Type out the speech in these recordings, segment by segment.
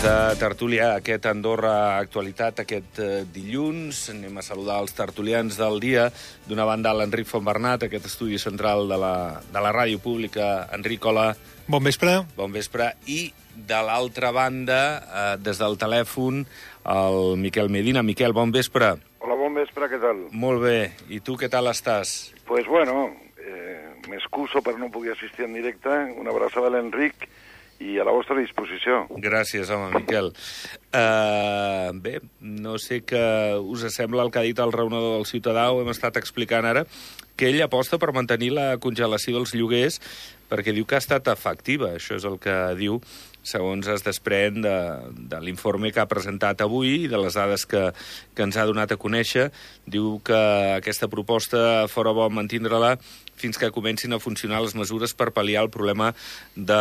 Temps de tertúlia, aquest Andorra Actualitat, aquest dilluns. Anem a saludar els tertulians del dia. D'una banda, l'Enric Fontbernat, aquest estudi central de la ràdio pública. Enric, hola. Bon vespre. Bon vespre. I de l'altra banda, des del telèfon, el Miquel Medina. Miquel, bon vespre. Hola, bon vespre, què tal? Molt bé. I tu què tal estàs? Pues bueno, m'excuso per no poder assistir en directe. Una abraçada a l'Enric i a la vostra disposició. Gràcies, home, Miquel. Bé, no sé què us sembla el que ha dit el raonador del Ciutadà, ho hem estat explicant ara, que ell aposta per mantenir la congelació dels lloguers perquè diu que ha estat efectiva. Això és el que diu, segons es desprèn de l'informe que ha presentat avui i de les dades que ens ha donat a conèixer. Diu que aquesta proposta fora bo mantindre-la fins que comencin a funcionar les mesures per pal·liar el problema de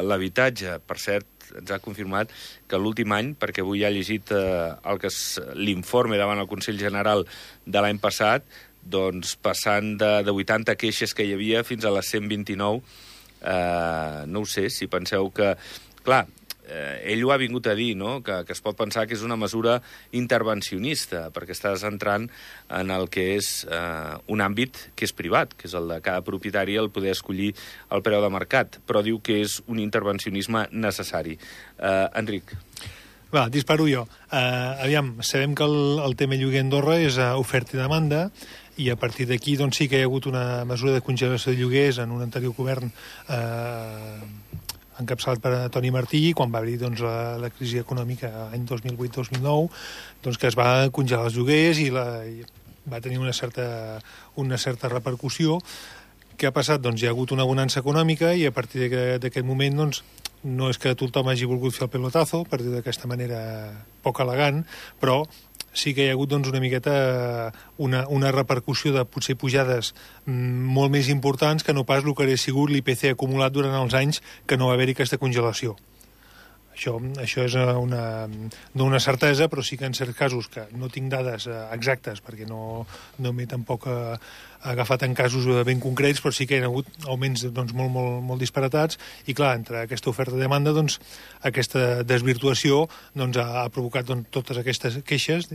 l'habitatge. Per cert, ens ha confirmat que l'últim any, perquè avui ha llegit l'informe davant el Consell General de l'any passat, doncs passant de 80 queixes que hi havia fins a les 129, no ho sé, si penseu que... Clar, ell ho ha vingut a dir, no?, que es pot pensar que és una mesura intervencionista, perquè estàs entrant en el que és un àmbit que és privat, que és el de cada propietari el poder escollir el preu de mercat, però diu que és un intervencionisme necessari. Enric. Va, disparo jo. Aviam, sabem que el tema lloguer a Andorra és oferta i demanda, i a partir d'aquí doncs, sí que hi ha hagut una mesura de congelació de lloguers en un anterior govern encapçalat per Toni Martí, quan va haver doncs, la crisi econòmica l'any 2008-2009, doncs, que es va congelar els lloguers i va tenir una certa repercussió. Què ha passat? Doncs hi ha hagut una bonança econòmica i a partir d'aquest moment doncs, no és que tothom hagi volgut fer el pelotazo, per dir d'aquesta manera poc elegant, però sí que hi ha hagut doncs, una miqueta una repercussió de potser pujades molt més importants que no pas el que hauria sigut l'IPC acumulat durant els anys que no va haver-hi aquesta congelació. Això és no una certesa, però sí que en certs casos, que no tinc dades exactes, perquè no m'he tampoc agafat en casos ben concrets, però sí que hi ha hagut augments doncs, molt disparatats, i clar, entre aquesta oferta i demanda, doncs, aquesta desvirtuació doncs, ha provocat doncs, totes aquestes queixes,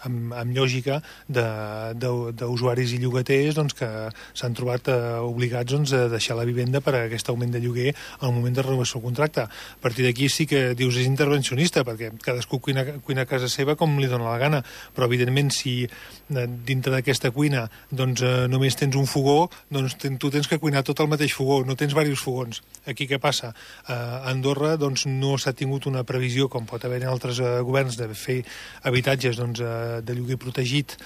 amb lògica d'usuaris i llogaters doncs, que s'han trobat obligats doncs, a deixar la vivenda per a aquest augment de lloguer al moment de renovació del contracte. A partir d'aquí sí que dius és intervencionista, perquè cadascú cuina a casa seva com li dóna la gana, però evidentment si dintre d'aquesta cuina doncs, només tens un fogó, doncs tu tens que cuinar tot el mateix fogó, no tens diversos fogons. Aquí què passa? A Andorra doncs, no s'ha tingut una previsió, com pot haver en altres governs, de fer habitatges doncs, de lloguer protegit,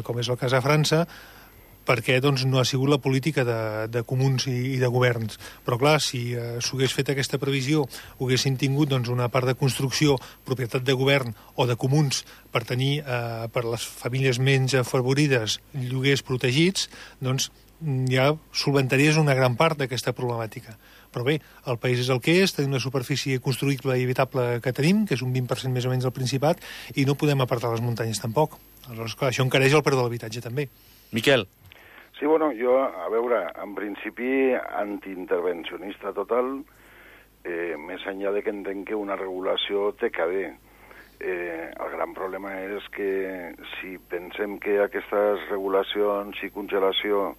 com és el cas a França, perquè doncs, no ha sigut la política de comuns i de governs. Però clar, si s'hagués fet aquesta previsió, haguessin tingut doncs, una part de construcció, propietat de govern o de comuns per tenir per les famílies menys afavorides lloguers protegits, doncs ja solventaries una gran part d'aquesta problemàtica. Però bé, el país és el que és, tenim una superfície construïble i habitable que tenim, que és un 20% més o menys del Principat, i no podem apartar les muntanyes tampoc. Aleshores, clar, això encareix el preu de l'habitatge també. Miquel. Sí, bueno, jo, a veure, en principi antiintervencionista total, més enllà de que entenc que una regulació té que haver. El gran problema és que si pensem que aquestes regulacions i congelació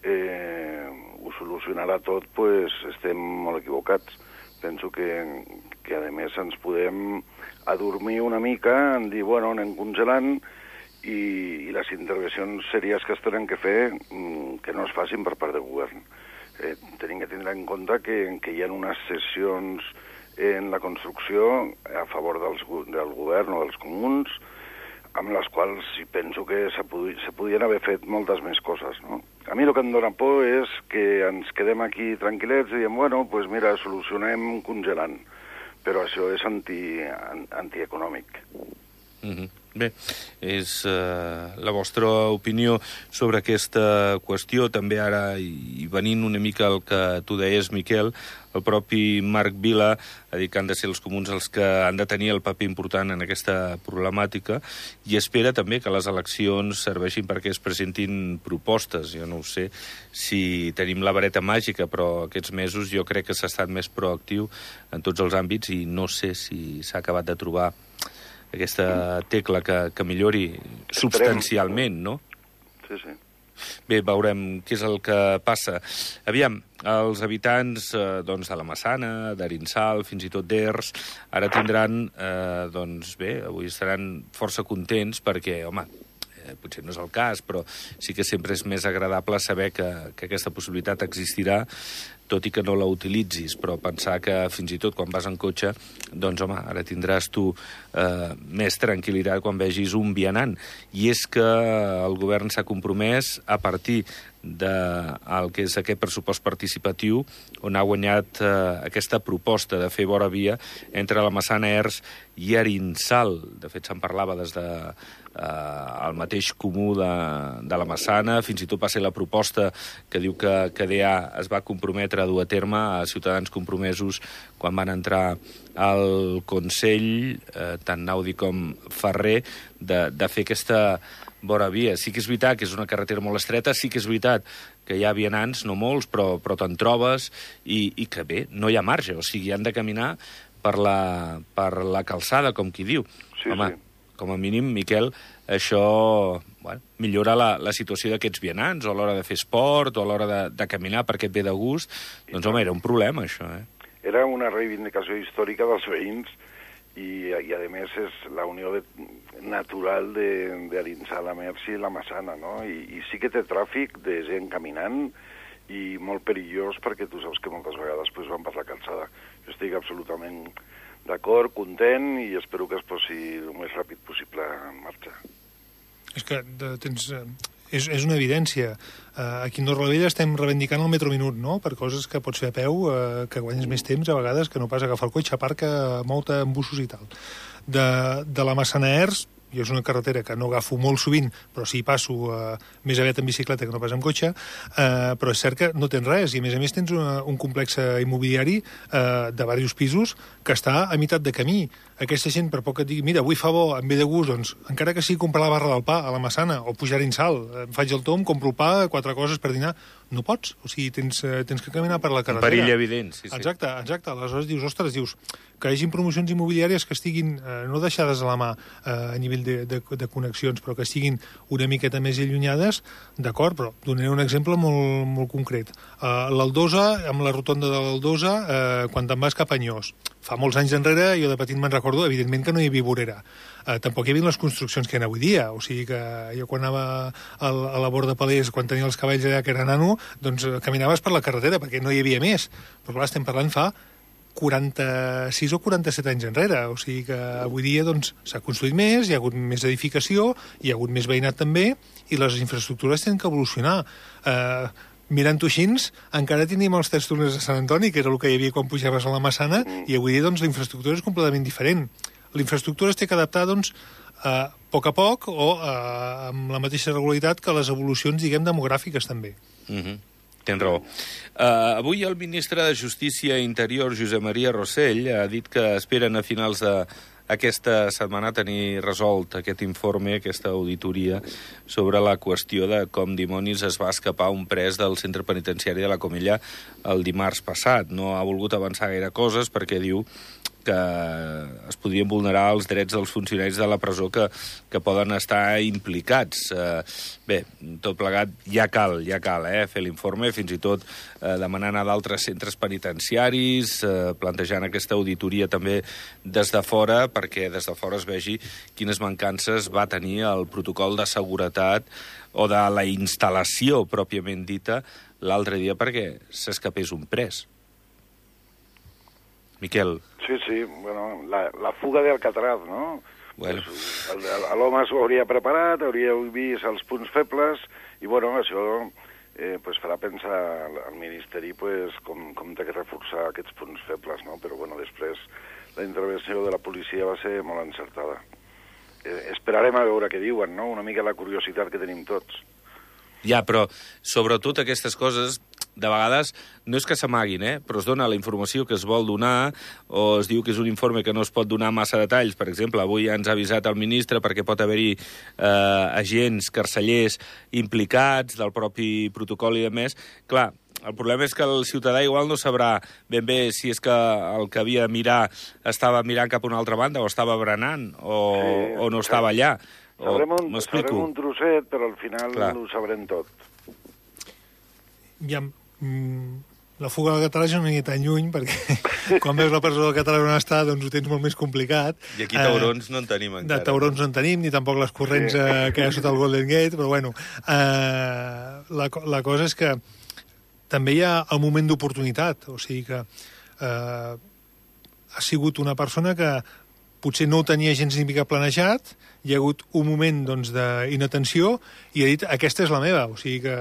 ho solucionarà tot, pues estem molt equivocats. Penso que a més ens podem adormir una mica en dir, bueno, anem congelant i les intervencions series que es tenen que fer que no es facin per part del govern. Tenim que tindre en compte que hi ha unes cessions en la construcció a favor del govern o dels comuns, amb les quals penso que se podien haver fet moltes més coses, no? A mi el que em dóna por és que ens quedem aquí tranquil·lets i diem, bueno, doncs mira, solucionem congelant. Però això és antieconòmic. Bé, és la vostra opinió sobre aquesta qüestió. També ara, i venint una mica al que tu deies, Miquel, el propi Marc Vila ha dit que han de ser els comuns els que han de tenir el paper important en aquesta problemàtica i espera també que les eleccions serveixin perquè es presentin propostes. Jo no ho sé si tenim la vareta màgica, però aquests mesos jo crec que s'ha estat més proactiu en tots els àmbits i no sé si s'ha acabat de trobar aquesta tecla que millori substancialment, no? Sí, sí. Bé, veurem què és el que passa. Aviam, els habitants de la Massana, d'Arinsal, fins i tot d'Ers, ara tindran, avui estaran força contents perquè, home, potser no és el cas, però sí que sempre és més agradable saber que aquesta possibilitat existirà, tot i que no la utilitzis, però pensar que fins i tot quan vas en cotxe, doncs, home, ara tindràs tu més tranquil·litat quan vegis un vianant. I és que el govern s'ha compromès a partir del que és aquest pressupost participatiu, on ha guanyat aquesta proposta de fer vora via entre la Massana, Ers i Arinsal. De fet, se'n parlava des de el mateix comú de la Massana, fins i tot va ser la proposta que diu que DA es va comprometre a dur a terme a Ciutadans Compromesos quan van entrar al Consell, tant Naudi com Ferrer, de fer aquesta vora via. Sí que és veritat que és una carretera molt estreta, sí que és veritat que hi ha vianants, no molts, però te'n trobes, i que bé, no hi ha marge, o sigui, han de caminar per la calçada, com qui diu. Sí, home, sí. Com a mínim, Miquel, això millora la situació d'aquests vianants, o a l'hora de fer esport, o a l'hora de caminar perquè et ve de gust. Doncs, home, era un problema, això, Era una reivindicació històrica dels veïns i a més, és la unió natural d'Arinsal, Ers i la Massana, no? I sí que té tràfic de gent caminant i molt perillós perquè tu saps que moltes vegades van per la calçada. Jo estic absolutament d'acord, content, i espero que es posi el més ràpid possible en marxa. És que és una evidència. Aquí a Torrevella estem reivindicant el metro minut, no?, per coses que pots fer a peu, que guanyes més temps a vegades que no pas agafar el cotxe, aparca molta en busos i tal. De la Massana a Ers, jo és una carretera que no agafo molt sovint, però sí passo més aviat en bicicleta que no pas en cotxe, però és cert que no tens res, i a més tens un complex immobiliari de diversos pisos que està a meitat de camí. Aquesta gent, per poc que et digui, mira, avui fa bo, em ve de gust, doncs, encara que sigui comprar la barra del pa a la Massana, o pujar a Arinsal, em faig el tom, compro el pa, 4 coses per dinar, no pots, o sigui, tens que caminar per la carretera. Un perill evident, sí. Exacte. Aleshores dius, que hi hagin promocions immobiliàries que estiguin no deixades a la mà a nivell de connexions, però que estiguin una miqueta més allunyades, d'acord, però donaré un exemple molt, molt concret. L'Aldosa, amb la rotonda de l'Aldosa, quan te'n vas cap a Anyós, fa molts anys enrere, jo de petit me'n recordo, evidentment que no hi havia vorera. Tampoc hi havia les construccions que hi ha avui dia, o sigui que jo quan anava a la Borda Palers, quan tenia els cavalls allà que era nano, doncs caminaves per la carretera, perquè no hi havia més. Però clar, estem parlant fa 46 o 47 anys enrere, o sigui que avui dia doncs s'ha construït més, hi ha hagut més edificació, hi ha hagut més veïnat també, i les infraestructures tenen que evolucionar. Mirant-ho així, encara tenim els 3 túnels de Sant Antoni, que era el que hi havia quan pujaves a la Massana, i avui dia doncs la infraestructura és completament diferent. La infraestructura es té que adaptar doncs a poc o amb la mateixa regularitat que les evolucions, diguem, demogràfiques també. Tens raó. Avui el ministre de Justícia i Interior, Josep Maria Rossell, ha dit que esperen a finals d'aquesta setmana tenir resolt aquest informe, aquesta auditoria, sobre la qüestió de com dimonis es va escapar un pres del centre penitenciari de la Comella el dimarts passat. No ha volgut avançar gaire coses perquè diu que es podrien vulnerar els drets dels funcionaris de la presó que poden estar implicats. Bé, tot plegat ja cal fer l'informe, fins i tot demanant a d'altres centres penitenciaris, plantejant aquesta auditoria també des de fora, perquè des de fora es vegi quines mancances va tenir el protocol de seguretat o de la instal·lació pròpiament dita l'altre dia perquè s'escapés un pres. Miquel. Sí, bueno, la fuga d'Alcatraz, no? Bueno. L'home s'ho hauria preparat, hauria vist els punts febles, i bueno, això farà pensar al Ministeri com té que reforçar aquests punts febles, no? Però bueno, després la intervenció de la policia va ser molt encertada. esperarem a veure què diuen, no? Una mica la curiositat que tenim tots. Ja, però sobretot aquestes coses, de vegades, no és que s'amaguin, però es dona la informació que es vol donar, o es diu que és un informe que no es pot donar massa detalls. Per exemple, avui ja ens ha avisat el ministre perquè pot haver-hi agents, carcellers implicats del propi protocol i demés. Clar, el problema és que el ciutadà igual no sabrà ben bé si és que el que havia de mirar estava mirant cap a una altra banda, o estava berenant, o no estava allà. Sabrem un trosset, però al final ho sabrem tot. Ja, la fuga del català ja no anirà tan lluny, perquè quan veus la presó del català on està, doncs ho tens molt més complicat. I aquí taurons no en tenim encara. De taurons no en tenim, ni tampoc les corrents que hi ha sota el Golden Gate, però bueno, la cosa és que també hi ha el moment d'oportunitat, o sigui que ha sigut una persona que potser no ho tenia gens ni mica planejat, hi ha hagut un moment doncs, d'inatenció i ha dit, aquesta és la meva. O sigui que,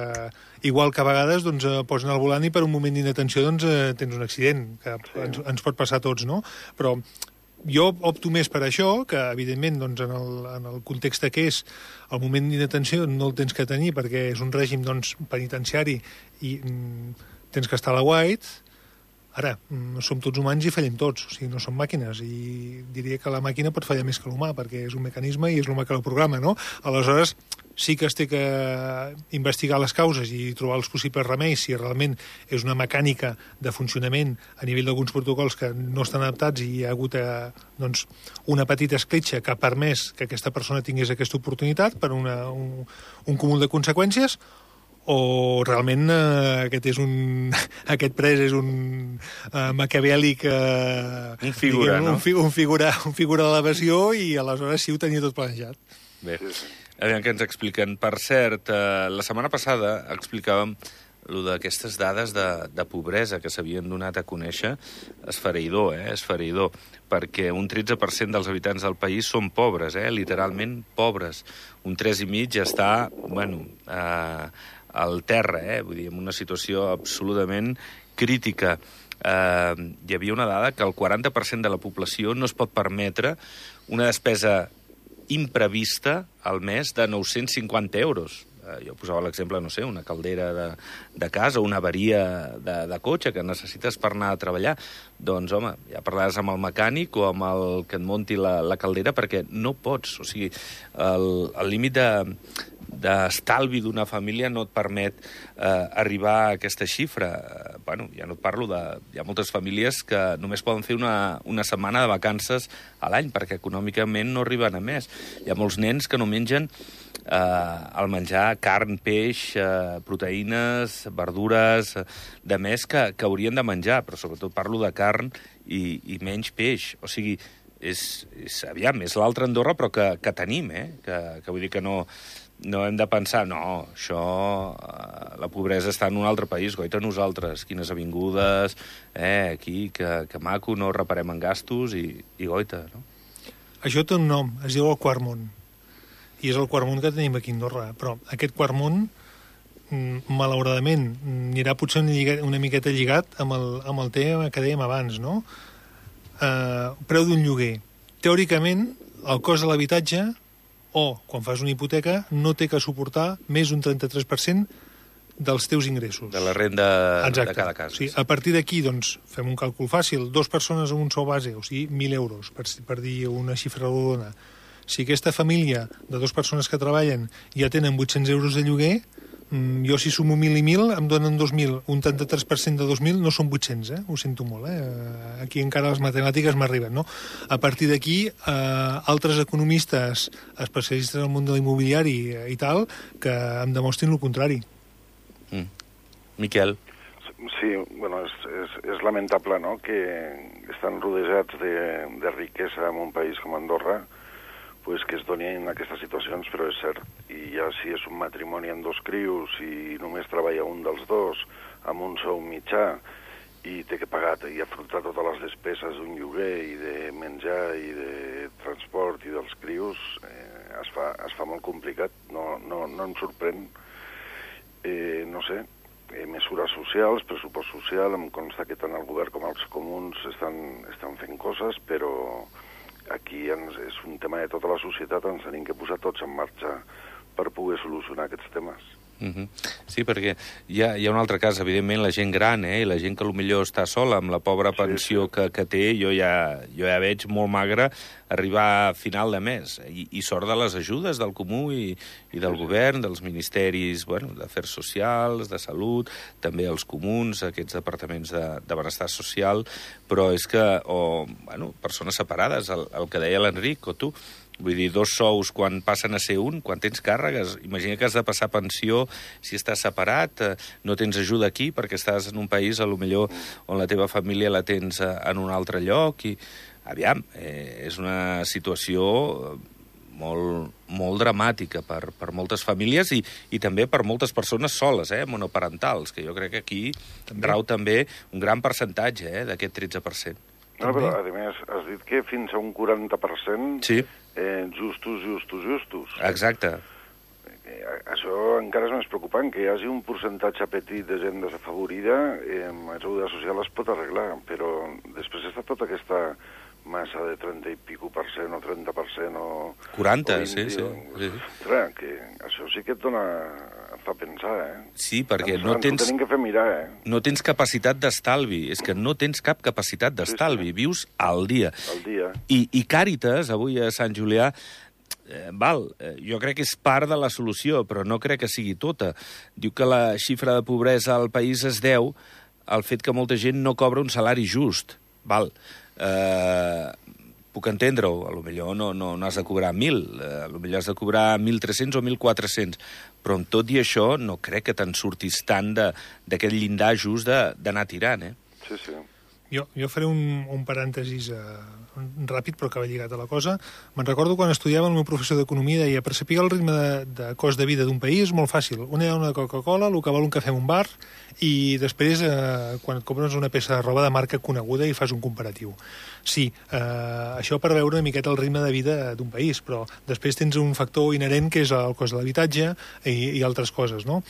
igual que a vegades doncs, posen al volant i per un moment d'inatenció doncs, tens un accident, que ens pot passar a tots, no? Però jo opto més per això, que evidentment doncs, en el context que és el moment d'inatenció no el tens que tenir perquè és un règim doncs, penitenciari i tens que estar a la white. Ara, som tots humans i fallem tots, o sigui, no som màquines, i diria que la màquina pot fallar més que l'humà, perquè és un mecanisme i és l'humà que el programa, no? Aleshores, sí que es té que investigar les causes i trobar els possibles remeis si realment és una mecànica de funcionament a nivell d'alguns protocols que no estan adaptats i hi ha hagut doncs, una petita escletxa que ha permès que aquesta persona tingués aquesta oportunitat per un cúmul de conseqüències, o realment aquest pres és un maquiavèlic un figura, diguem, no? un figura de l'evasió i aleshores sí ho tenia tot planejat. Bé, aviam què ens expliquen. Per cert, la setmana passada explicàvem lo d'aquestes dades de pobresa que s'havien donat a conèixer. Esfereïdor, perquè un 13% dels habitants del país són pobres, literalment pobres. Un 3,5% està, al terra, vull dir, en una situació absolutament crítica. Hi havia una dada que el 40% de la població no es pot permetre una despesa imprevista al mes de 950 euros. Jo posava l'exemple, no sé, una caldera de casa, una avaria de cotxe que necessites per anar a treballar. Doncs, home, ja parlaràs amb el mecànic o amb el que et munti la caldera perquè no pots. O sigui, el límit d'estalvi d'una família no et permet arribar a aquesta xifra. Ja no et parlo hi ha moltes famílies que només poden fer una setmana de vacances a l'any perquè econòmicament no arriben a més. Hi ha molts nens que no mengen al menjar carn, peix, proteïnes, verdures, de més que haurien de menjar, però sobretot parlo de carn i menys peix. O sigui, és l'altra Andorra, però que tenim, que vull dir que no hem de pensar, no, això, la pobresa està en un altre país, goita nosaltres, quines avingudes, aquí, que maco, no reparem en gastos i goita, no? Això té un nom, es diu el Quart Món, i és el Quart Món que tenim aquí a Andorra, però aquest Quart Món, malauradament, anirà potser una miqueta lligat amb el tema que dèiem abans, no? Preu d'un lloguer. Teòricament, el cost de l'habitatge o, quan fas una hipoteca, no té que suportar més d'un 33% dels teus ingressos. De la renda de cada casa. Sí, a partir d'aquí, doncs, fem un càlcul fàcil. 2 persones amb un sou base, o sigui, 1.000 euros, per dir una xifra rodona. Si aquesta família de 2 persones que treballen ja tenen 800 euros de lloguer, jo si sumo 1.000 i 1.000 em donen 2.000. Un 33% de 2.000 no són 800, ho sento molt. Aquí encara les matemàtiques m'arriben, no? A partir d'aquí, altres economistes especialistes en el món de l'immobiliari i tal, que em demostrin el contrari. Miquel. Sí, bueno, és lamentable, no?, que estan rodejats de riquesa en un país com Andorra, pues que es donin aquestes situacions, però és cert. I ja si és un matrimoni amb 2 crios i només treballa un dels 2 amb un sou mitjà i té que pagar i afrontar totes les despeses d'un lloguer i de menjar i de transport i dels crios, es fa molt complicat. No em sorprèn, no sé, mesures socials, pressupost social, em consta que tant el govern com els comuns estan fent coses, però aquí és un tema de tota la societat, ens tenim que posar tots en marxa per poder solucionar aquests temes. Sí, perquè hi ha un altre cas, evidentment, la gent gran, i la gent que potser està sola amb la pobra pensió que té, jo ja veig molt magre arribar a final de mes, i sort de les ajudes del Comú i del govern, dels ministeris d'Afers Socials, de Salut, també els comuns, aquests departaments de benestar social, però és que, persones separades, el que deia l'Enric, o tu, vull dir, 2 sous quan passen a ser un, quan tens càrregues, imagina que has de passar pensió si estàs separat, no tens ajuda aquí perquè estàs en un país, potser on la teva família la tens en un altre lloc, i aviam, és una situació molt dramàtica per moltes famílies i també per moltes persones soles, monoparentals, que jo crec que aquí rau també un gran percentatge d'aquest 13%. No, però, a més, has dit que fins a un 40% justos. Exacte. Això encara és més preocupant, que hi hagi un percentatge petit de gent desafavorida, la ajuda social es pot arreglar, però després està tota aquesta massa de 30 i pico % o 30% o 40, sí. Ostres, que això sí que et fa pensar, Sí, perquè no tens... Ho tenim que fer mirar, No tens capacitat d'estalvi, és que no tens cap capacitat d'estalvi, vius al dia. Al dia. I Càritas, avui a Sant Julià, jo crec que és part de la solució, però no crec que sigui tota. Diu que la xifra de pobresa al país es deu al fet que molta gent no cobra un salari just. Puc entendre-ho, potser no has de cobrar 1.000, potser has de cobrar 1.300 o 1.400, però amb tot i això no crec que te'n surtis tant d'aquest llindar just d'anar tirant, Sí. Jo faré un parèntesis ràpid, però que va lligat a la cosa. Me'n recordo quan estudiava, el meu professor d'economia deia: per saber el ritme de cost de vida d'un país és molt fàcil. Una hi ha una Coca-Cola, el que val un cafè en un bar, i després, quan et compres una peça de roba de marca coneguda i fas un comparatiu. Sí, això per veure una miqueta el ritme de vida d'un país, però després tens un factor inherent que és el cost de l'habitatge i altres coses, no?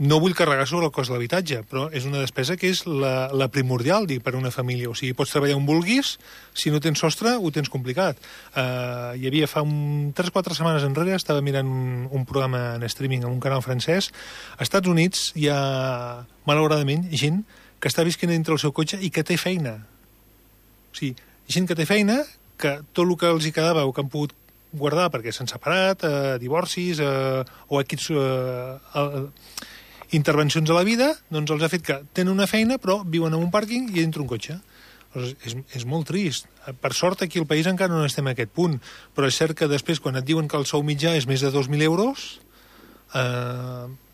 No vull carregar sobre el cost de l'habitatge, però és una despesa que és la primordial, per a una família. O sigui, pots treballar on vulguis, si no tens sostre, ho tens complicat. Hi havia fa 3-4 setmanes enrere, estava mirant un programa en streaming en un canal francès. Als Estats Units hi ha, malauradament, gent que està visquent dintre el seu cotxe i que té feina. O sigui, gent que té feina, que tot el que els hi quedava o que han pogut guardar perquè s'han separat, divorcis o equips... intervencions a la vida, doncs els ha fet que tenen una feina, però viuen en un pàrquing i dintre un cotxe. És molt trist. Per sort, aquí al país encara no estem a aquest punt, però és cert que després, quan et diuen que el sou mitjà és més de 2.000 euros,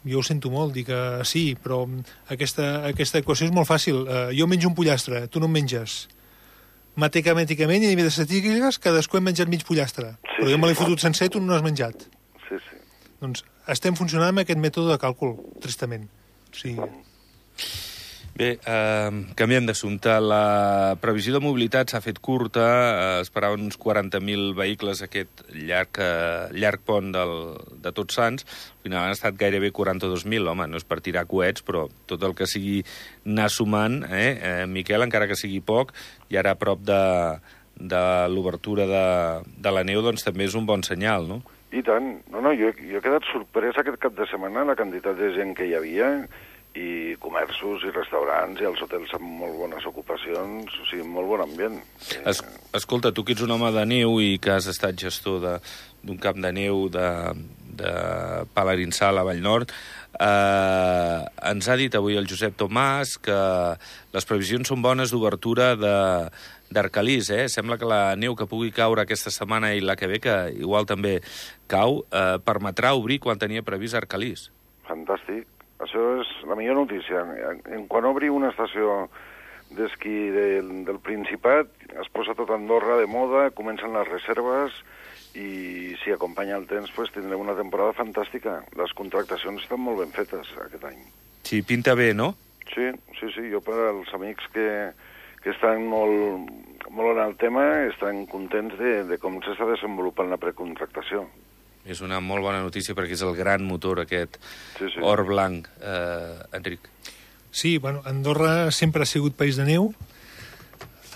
jo ho sento molt, dir que sí, però aquesta equació és molt fàcil. Jo menjo un pollastre, tu no en menges. Matemàticament, i a nivell de estadístiques, cadascú hem menjat mig pollastre. Però jo me l'he fotut sencer, tu no l'has menjat. Sí. Doncs estem funcionant amb aquest mètode de càlcul, tristament. Sí. Bé, canviem d'assumpte. La previsió de mobilitat s'ha fet curta, esperaven uns 40.000 vehicles aquest llarg pont de Tots Sants. Al final han estat gairebé 42.000. Home, no és per tirar coets, però tot el que sigui anar sumant, Miquel, encara que sigui poc, i ara a prop de l'obertura de la neu, doncs també és un bon senyal, no? I tant. No, jo he quedat sorprès aquest cap de setmana la quantitat de gent que hi havia, i comerços i restaurants i els hotels amb molt bones ocupacions, o sigui, molt bon ambient. Escolta, tu que ets un home de neu i que has estat gestor d'un camp de neu de Palarinsal a Vallnord, ens ha dit avui el Josep Tomàs que les previsions són bones d'obertura d'Arcalís, Sembla que la neu que pugui caure aquesta setmana i la que ve, que igual també cau, permetrà obrir quan tenia previst Arcalís. Fantàstic. Això és la millor notícia. Quan obri una estació d'esquí del Principat, es posa tot Andorra de moda, comencen les reserves i si acompanya el temps tindrem una temporada fantàstica. Les contractacions estan molt ben fetes aquest any. Sí, pinta bé, no? Sí. Jo per als amics que estan molt en el tema estan contents de com s'està desenvolupant la precontractació. És una molt bona notícia perquè és el gran motor aquest or blanc, Enric. Sí, Andorra sempre ha sigut país de neu.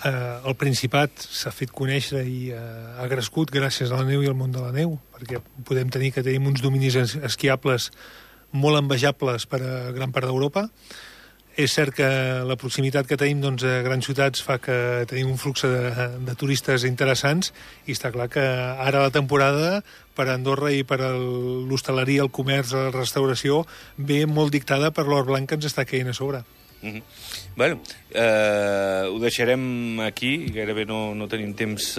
el Principat s'ha fet conèixer i ha crescut gràcies a la neu i al món de la neu, perquè podem tenir que tenim uns dominis esquiables molt envejables per a gran part d'Europa. És cert que la proximitat que tenim doncs, a grans ciutats fa que tenim un flux de turistes interessants i està clar que ara la temporada per a Andorra i per a l'hostaleria, el comerç, la restauració ve molt dictada per l'or blanc que ens està caient a sobre. Bueno, ho deixarem aquí, gairebé no tenim temps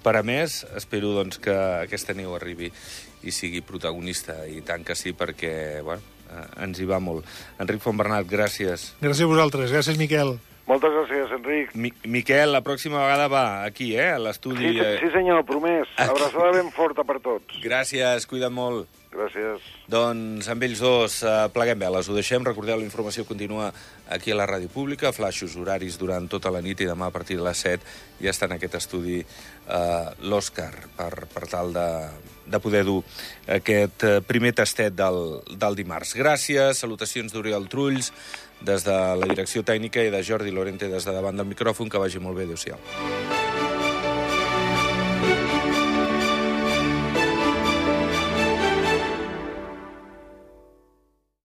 per a més. Espero doncs, que aquesta neu arribi i sigui protagonista, i tant que sí, perquè ens hi va molt. Enric Fontbernat, gràcies. Gràcies a vosaltres, gràcies Miquel. Moltes gràcies, Enric. Miquel, la pròxima vegada va aquí, a l'estudi. Sí, senyor, promès. Abraçada ben forta per tots. Gràcies, cuida't molt. Gràcies. Doncs amb ells dos pleguem veles. Ho deixem. Recordeu, la informació continua aquí a la Ràdio Pública. Flaixos horaris durant tota la nit i demà a partir de les 7 ja està en aquest estudi l'Òscar per tal de poder dur aquest primer tastet del dimarts. Gràcies. Salutacions d'Oriol Trulls des de la direcció tècnica i de Jordi Lorente des de davant del micròfon. Que vagi molt bé. Adéu-siau.